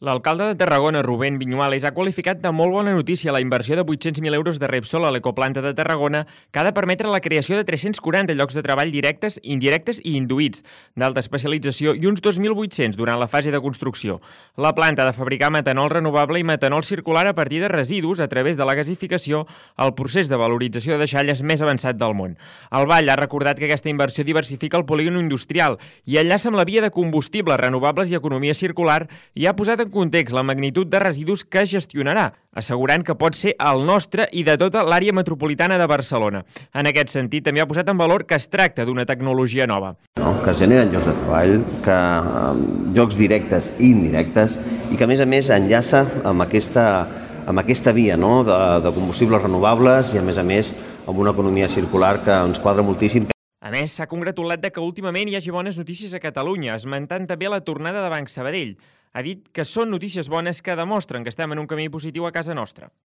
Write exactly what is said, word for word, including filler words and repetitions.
L'alcalde de Tarragona, Rubén Viñuales, ha qualificat de molt bona notícia la inversió de vuit-cents mil euros de Repsol a l'ecoplanta de Tarragona, que ha de permetre la creació de tres-cents quaranta llocs de treball directes, indirectes i induïts, d'alta especialització i uns dos mil vuit-cents durant la fase de construcció. La planta ha de fabricar metanol renovable i metanol circular a partir de residus a través de la gasificació, el procés de valorització de deixalles més avançat del món. El Vall ha recordat que aquesta inversió diversifica el polígon industrial i enllaça amb la via de combustibles renovables i economia circular i ha posat en context la magnitud de residus que gestionarà, assegurant que pot ser el nostre i de tota l'àrea metropolitana de Barcelona. En aquest sentit, també ha posat en valor que es tracta d'una tecnologia nova. No, que es generen llocs de treball, que um, llocs directes i indirectes, i que a més a més enllaça amb aquesta, amb aquesta via, no?, de, de combustibles renovables i a més a més amb una economia circular que ens quadra moltíssim. A més, s'ha congratulat de que últimament hi hagi bones notícies a Catalunya, esmentant també la tornada de Banc Sabadell. Ha dit que són notícies bones que demostren que estem en un camí positiu a casa nostra.